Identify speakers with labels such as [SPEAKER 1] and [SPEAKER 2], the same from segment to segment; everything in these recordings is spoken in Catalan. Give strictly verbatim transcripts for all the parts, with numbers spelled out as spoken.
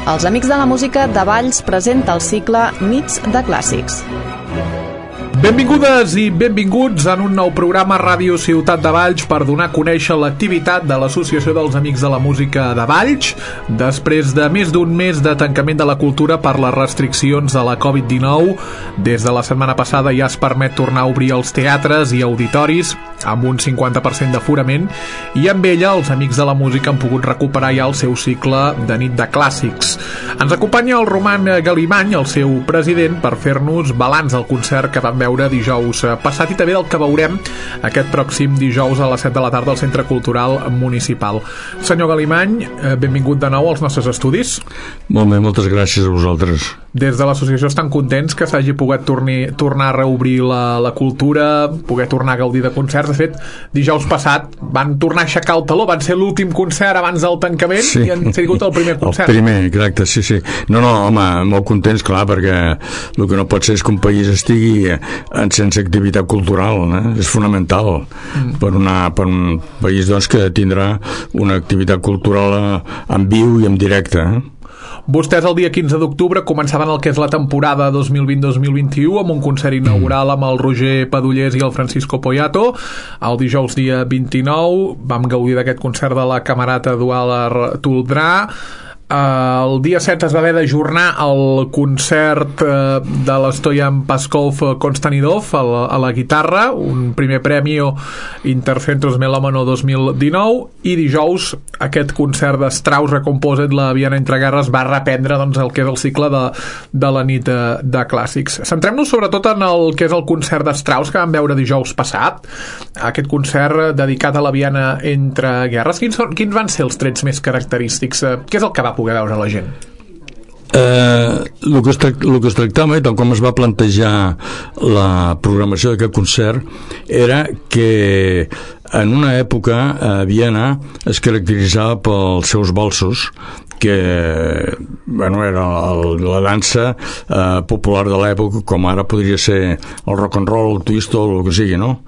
[SPEAKER 1] Els Amics de la Música de Valls presenta el cicle Nits de Clàssics.
[SPEAKER 2] Benvingudes i benvinguts en un nou programa Ràdio Ciutat de Valls per donar a conèixer l'activitat de l'Associació dels Amics de la Música de Valls després de més d'un mes de tancament de la cultura per les restriccions de la covid dinou. Des de la setmana passada ja es permet tornar a obrir els teatres i auditoris amb un cinquanta per cent d'aforament i amb ella els Amics de la Música han pogut recuperar ja el seu cicle de nit de clàssics. Ens acompanya el Roman Galimany, el seu president, per fer-nos balanç del concert que vam veure dijous passat i també del que veurem aquest pròxim dijous a les set de la tarda al Centre Cultural Municipal. Senyor Galimany, benvingut de nou als nostres estudis.
[SPEAKER 3] Molt bé, moltes gràcies a vosaltres.
[SPEAKER 2] Des de l'associació estan contents que s'hagi pogut torni, tornar a reobrir la, la cultura, poder tornar a gaudir de concerts. De fet, dijous passat van tornar a aixecar el taló, van ser l'últim concert abans del tancament, sí. I han sigut el primer concert.
[SPEAKER 3] El primer, exacte, sí, sí. No, no, home, molt contents, clar, perquè el que no pot ser és que un país estigui sense activitat cultural, eh? És fonamental mm. per, una, per un país doncs, que tindrà una activitat cultural en viu i en directe. Eh?
[SPEAKER 2] Vostès el dia quinze d'octubre començaven el que és la temporada dos mil vint dos mil vint-i-u amb un concert inaugural amb el Roger Padullés i el Francisco Poyato. El dijous dia vint-i-nou vam gaudir d'aquest concert de la Camerata Eduard Toldrà. El dia set es va haver d'ajornar el concert de l'Stoyan Paskov Konstantinov a la, a la guitarra, un primer premi Intercentros Melómano dos mil dinou, i dijous aquest concert de Strauss Recomposed, la Viena entre guerres, va reprendre doncs, el que és el cicle de, de la nit de, de clàssics. Centrem-nos sobretot en el que és el concert de Strauss que vam veure dijous passat, aquest concert dedicat a la Viena entre guerres. Quins, són, quins van ser els trets més característics? Què és el que va poder veure la gent?
[SPEAKER 3] Eh, el, que es tractava, el que es tractava i tal com es va plantejar la programació d'aquest concert era que en una època a Viena es caracteritzava pels seus valsos, que bueno, era el, la dansa eh, popular de l'època, com ara podria ser el rock and roll, el twist o el que sigui, no?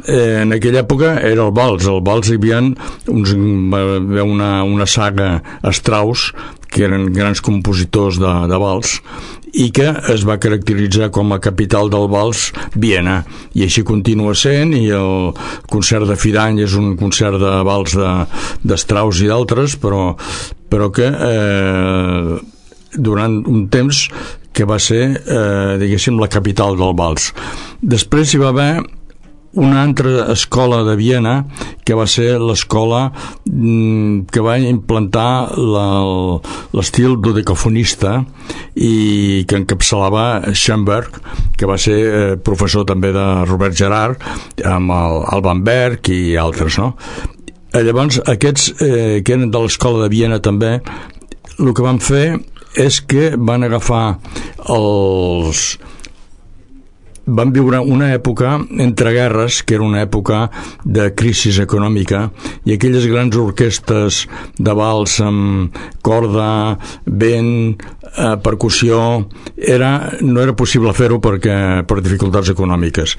[SPEAKER 3] Eh, en aquella època era el vals. El vals hi havia uns, una, una saga Strauss, que eren grans compositors de, de vals, i que es va caracteritzar com a capital del vals Viena, i així continua sent. I el concert de fi d'any és un concert de vals de, de Strauss i d'altres, però, però que eh, durant un temps que va ser eh, diguéssim la capital del vals. Després hi va haver una altra escola de Viena que va ser l'escola que va implantar l'estil dodecafonista i que encapçalava Schoenberg, que va ser eh, professor també de Robert Gerhard amb el Alban Berg i altres, no? Llavors aquests eh, que eren de l'escola de Viena també, el que van fer és que van agafar els van viure una època entre guerres, que era una època de crisi econòmica, i aquelles grans orquestes de vals amb corda, vent, eh, percussió, era, no era possible fer-ho perquè per dificultats econòmiques.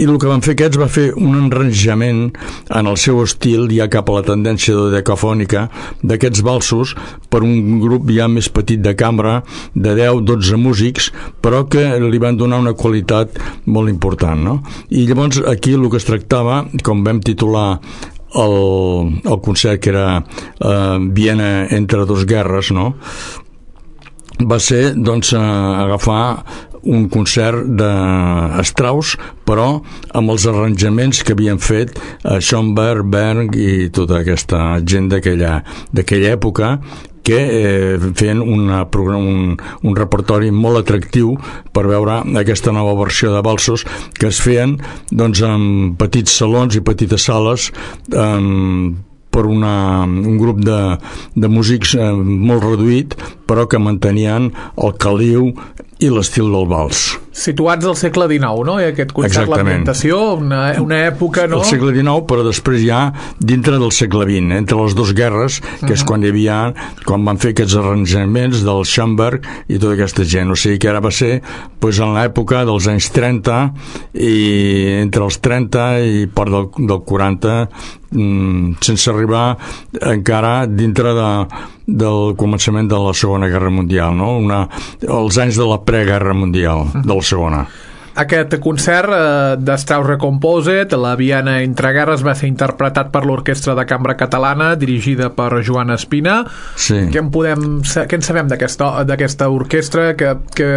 [SPEAKER 3] I el que van fer aquests va fer un arranjament en el seu estil, ja cap a la tendència dodecafònica, d'aquests valsos per un grup ja més petit de cambra, de deu dotze músics, però que li van donar una qualitat molt important, no? I llavors aquí el que es tractava, com vam titular el, el concert, que era eh, Viena entre dos guerres, no? Va ser doncs eh, agafar un concert de Strauss, però amb els arranjaments que havien fet eh, Schoenberg, Berg i tota aquesta gent d'aquella d'aquella època, que eh, feien una, un, un repertori molt atractiu per veure aquesta nova versió de valsos que es feien doncs, en petits salons i petites sales eh, per una, un grup de, de músics eh, molt reduït, però que mantenien el caliu i l'estil del vals.
[SPEAKER 2] situats al segle dinou, no? I aquest concert, l'ambientació, una, una època, no?
[SPEAKER 3] El segle dinou, però després ja dintre del segle vint, entre les dues guerres, que uh-huh. és quan hi havia, quan van fer aquests arranjaments del Schoenberg i tota aquesta gent. O sigui que ara va ser pues, en l'època dels anys trenta, i entre els trenta i part del, del quaranta, mm, sense arribar encara dintre de, del començament de la Segona Guerra Mundial, no? Una, els anys de la preguerra mundial, de la segona.
[SPEAKER 2] Aquest concert eh, de Strauss Recomposed, la Viena entre guerres, va ser interpretat per l'Orquestra de Cambra Catalana, dirigida per Joan Espina.
[SPEAKER 3] Sí.
[SPEAKER 2] Què en podem, què en sabem d'aquesta orquestra? Que, que,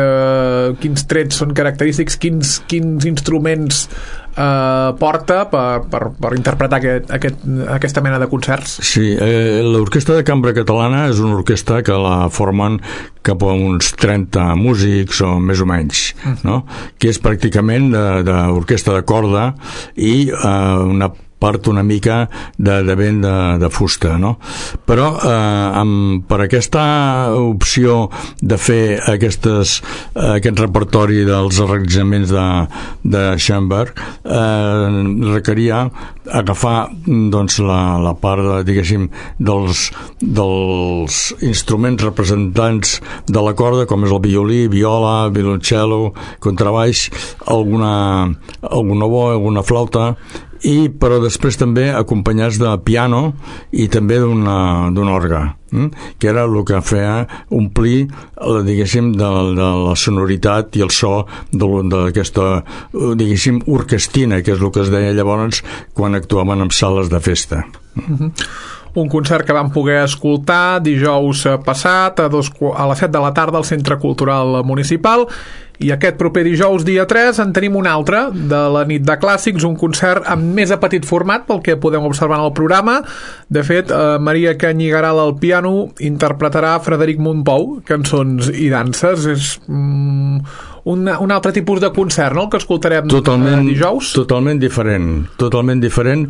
[SPEAKER 2] quins trets són característics? Quins, quins instruments eh, porta per, per, per interpretar aquest, aquest, aquesta mena de concerts?
[SPEAKER 3] Sí, eh, l'Orquestra de Cambra Catalana és una orquestra que la formen cap a uns trenta músics o més o menys, no? Que és pràcticament d'orquestra de corda i eh, una part una mica de, de vent de, de fusta, no? Però eh, amb, per aquesta opció de fer aquestes, eh, aquest repertori dels arranjaments de, de Schoenberg eh, requeria agafar doncs, la, la part de, diguéssim, dels, dels instruments representants de la corda, com és el violí, viola, violoncello, contrabaix, alguna, alguna bo, alguna flauta, i però després també acompanyats de piano i també d'un orgue, hm? que era el que feia omplir, diguéssim, de, de la sonoritat i el so d'aquesta, diguéssim, orquestina, que és el que es deia llavors quan actuaven en sales de festa.
[SPEAKER 2] Mm-hmm. Un concert que vam poder escoltar dijous passat a, dos, a les set de la tarda al Centre Cultural Municipal, i aquest proper dijous, dia tres, en tenim un altre de la nit de clàssics, un concert amb més a petit format pel que podem observar en el programa. De fet, eh, Maria Canyigaral al piano interpretarà Frederic Mompou, cançons i danses. És mm, un, un altre tipus de concert, no?, el que escoltarem totalment, eh, dijous.
[SPEAKER 3] Totalment diferent, totalment diferent,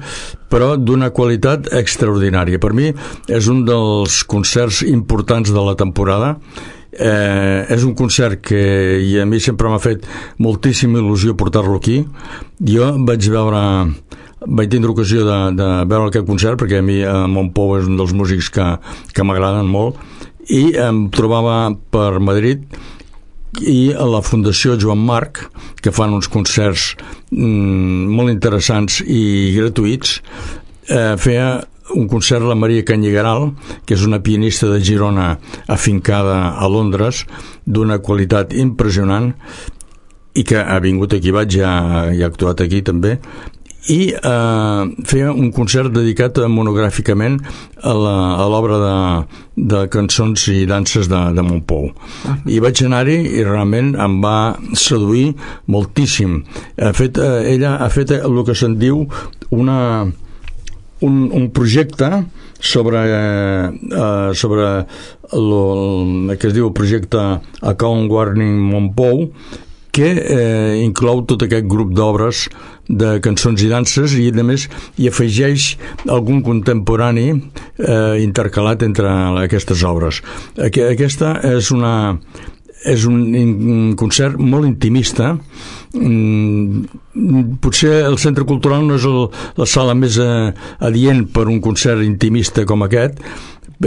[SPEAKER 3] però d'una qualitat extraordinària. Per mi és un dels concerts importants de la temporada. Eh, és un concert que i a mi sempre m'ha fet moltíssima il·lusió portar-lo aquí. Jo vaig veure vaig tindre ocasió de, de veure aquest concert perquè a mi eh, Mompou és un dels músics que, que m'agraden molt, i em trobava per Madrid i a la Fundació Joan Marc, que fan uns concerts mm, molt interessants i gratuïts. eh, feia un concert la Maria Canyigaral, que és una pianista de Girona afincada a Londres, d'una qualitat impressionant, i que ha vingut aquí, vaig, ja, ja ha actuat aquí també, i eh, feia un concert dedicat monogràficament a l'obra de, de cançons i danses de, de Mompou. I vaig anar-hi i realment em va seduir moltíssim. Ha fet, eh, ella ha fet el que se'n diu una Un, un projecte sobre, eh, sobre lo, el que es diu el projecte Account Warning Mompou, que eh, inclou tot aquest grup d'obres de cançons i danses, i a més hi afegeix algun contemporani eh, intercalat entre aquestes obres. Aquesta és una és un concert molt intimista. Potser el Centre Cultural no és el, la sala més adient per un concert intimista com aquest.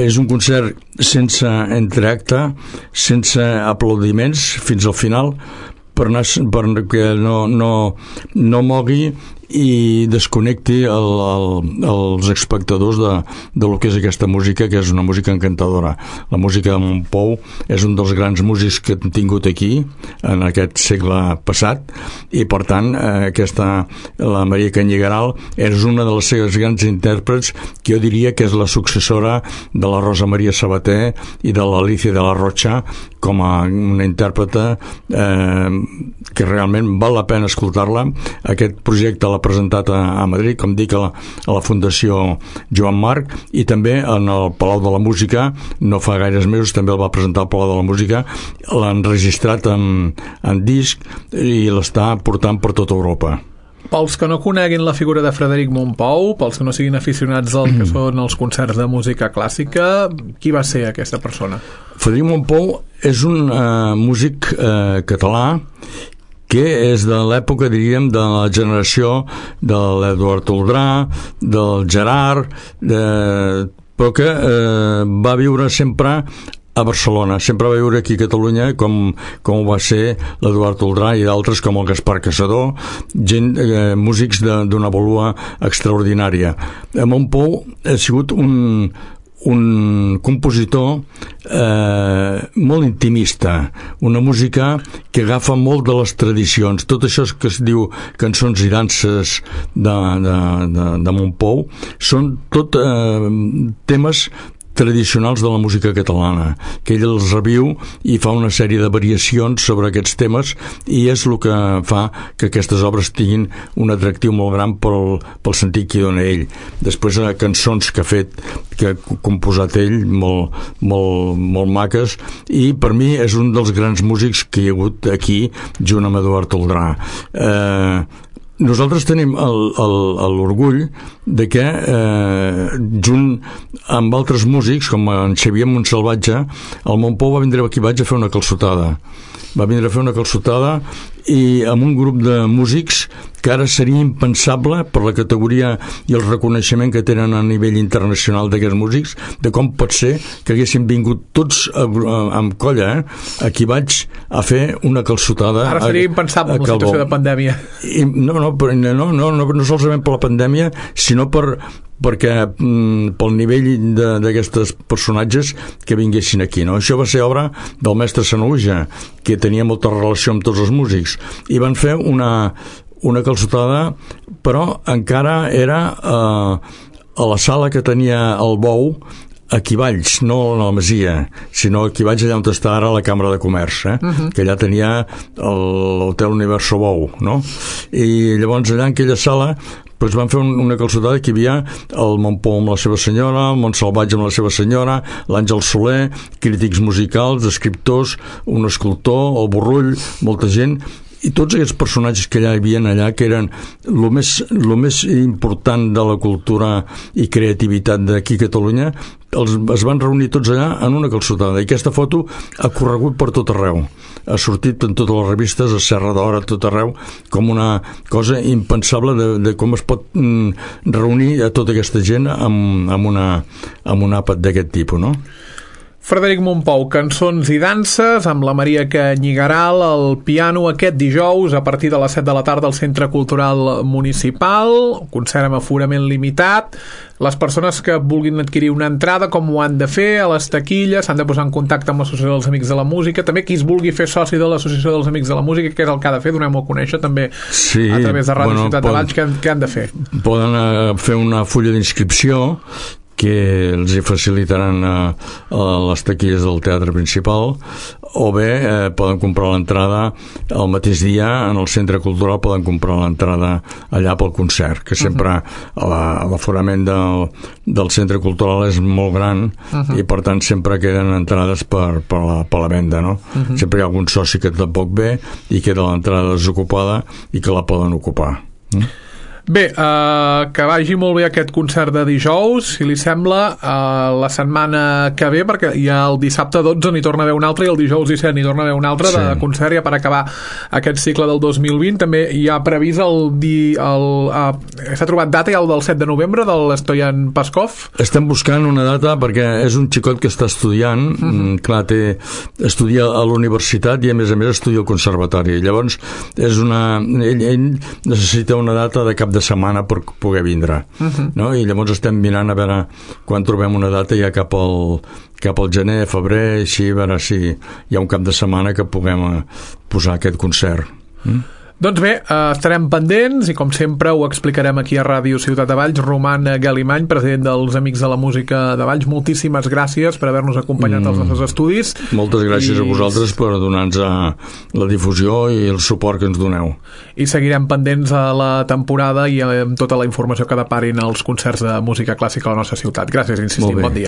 [SPEAKER 3] És un concert sense entreacte, sense aplaudiments fins al final, per anar, perquè no, no, no mogui i desconnecti el, el, els espectadors de, de lo que és aquesta música, que és una música encantadora. La música de Mompou és un dels grans músics que hem tingut aquí en aquest segle passat, i per tant eh, aquesta, la Maria Canyigaral és una de les seves grans intèrprets, que jo diria que és la successora de la Rosa Maria Sabater i de l'Alicia de la Rocha, com a una intèrprete eh, que realment val la pena escoltar-la. Aquest projecte l'ha presentat a, a Madrid, com dic, a la, a la Fundació Joan Marc, i també en el Palau de la Música, no fa gaires mesos també el va presentar al Palau de la Música, l'ha enregistrat en, en disc i l'està portant per tota Europa.
[SPEAKER 2] Pels que no coneguin la figura de Frederic Mompou, pels que no siguin aficionats al que són els concerts de música clàssica, qui va ser aquesta persona?
[SPEAKER 3] Frederic Mompou és un eh, músic eh, català que és de l'època, diríem, de la generació de l'Eduard Toldrà, del Gerard, de... però que eh, va viure sempre a Barcelona, sempre va viure aquí a Catalunya com, com va ser l'Eduard Toldrà i d'altres com el Gaspar Casador, gent, eh, músics d'una vàlua extraordinària. Montpou ha sigut un, un compositor eh, molt intimista, una música que agafa molt de les tradicions. Tot això que es diu cançons i danses de, de, de, de Montpou són tot eh, temes tradicionals de la música catalana, que ell els reviu i fa una sèrie de variacions sobre aquests temes i és el que fa que aquestes obres tinguin un atractiu molt gran pel, pel sentit que hi dona ell. Després eh, cançons que ha fet, que ha composat ell, molt, molt, molt maques, i per mi és un dels grans músics que hi ha hagut aquí, junt amb Eduard Toldrà. Eh, Nosaltres tenim l'orgull de que, eh, junt amb altres músics, com en Xavier Montsalvatge, el Montpou va vindre aquí vaig a fer una calçotada. Va vindre a fer una calçotada i amb un grup de músics que ara seria impensable per la categoria i el reconeixement que tenen a nivell internacional d'aquests músics, de com pot ser que haguessin vingut tots a, a, amb colla, eh? Aquí vaig a fer una calçotada.
[SPEAKER 2] Ara seria a, impensable amb la situació de pandèmia.
[SPEAKER 3] I, no, no, no, no, no, no, no solament per la pandèmia, sinó per perquè mm, pel nivell d'aquestes personatges que vinguessin aquí, no? Això va ser obra del mestre Sanaüja, que tenia molta relació amb tots els músics, i van fer una, una calçotada, però encara era eh, a la sala que tenia el Bou, aquí Valls, no a la Masia, sinó aquí Valls, allà on està ara la Cambra de Comerç, eh? Uh-huh. Que allà tenia l'Hotel Universo Bou, no? I llavors allà en aquella sala doncs van fer una calçotada que hi havia el Montpou amb la seva senyora, el Montsalvatge amb la seva senyora, l'Àngel Soler, crítics musicals, escriptors, un escultor, el Borrull, molta gent, i tots aquests personatges que allà hi havia allà, que eren el més, lo més important de la cultura i creativitat d'aquí a Catalunya, els, es van reunir tots allà en una calçotada, i aquesta foto ha corregut per tot arreu, ha sortit en totes les revistes, a Serra d'Hora, a tot arreu, com una cosa impensable de, de com es pot mm, reunir a tota aquesta gent amb, amb, una, amb un àpat d'aquest tipus, no?
[SPEAKER 2] Frederic Montpou, cançons i danses amb la Maria Canyigaral al piano aquest dijous a partir de les set de la tarda al Centre Cultural Municipal, concert amb aforament limitat. Les persones que vulguin adquirir una entrada, com ho han de fer a les taquilles, s'han de posar en contacte amb l'Associació dels Amics de la Música, també qui es vulgui fer soci de l'Associació dels Amics de la Música, que és el que ha de fer, donem-ho a conèixer també, sí, a través de Ràdio bueno, Ciutat de Valls, què, què han de fer?
[SPEAKER 3] Poden uh, fer una fulla d'inscripció que els hi facilitaran a, a les taquilles del teatre principal, o bé eh, poden comprar l'entrada el mateix dia en el Centre Cultural, poden comprar l'entrada allà pel concert, que sempre uh-huh. l'aforament del, del Centre Cultural és molt gran uh-huh. i per tant sempre queden entrades per, per, la, per la venda, no? Uh-huh. Sempre hi ha algun soci que tampoc ve i queda l'entrada desocupada i que la poden ocupar. Mm?
[SPEAKER 2] Bé, eh, que vagi molt bé aquest concert de dijous, si li sembla, eh, la setmana que ve, perquè ja el dissabte dotze n'hi torna a haver un altre i el dijous disset n'hi torna a haver un altre sí. de concert ja per acabar aquest cicle del dos mil vint. També hi ha previst el... Di, el eh, s'ha trobat data ja el del set de novembre de l'Stoyan Paskov?
[SPEAKER 3] Estem buscant una data perquè és un xicot que està estudiant, uh-huh. clar, té, estudia a la universitat i a més a més estudia al conservatori. Llavors, és una, ell, ell necessita una data de cap de de setmana per poder vindre, uh-huh. no? I llavors estem mirant a veure quan trobem una data ja cap al, cap al gener, febrer, així, a veure si hi ha un cap de setmana que puguem posar aquest concert. Mm?
[SPEAKER 2] Doncs bé, eh, estarem pendents i com sempre ho explicarem aquí a Ràdio Ciutat de Valls. Roman Galimany, president dels Amics de la Música de Valls, moltíssimes gràcies per haver-nos acompanyat mm. als nostres estudis.
[SPEAKER 3] Moltes gràcies I... a vosaltres per donar-nos la difusió i el suport que ens doneu.
[SPEAKER 2] I seguirem pendents a la temporada i amb tota la informació que deparin els concerts de música clàssica a la nostra ciutat. Gràcies, insistim, bon dia.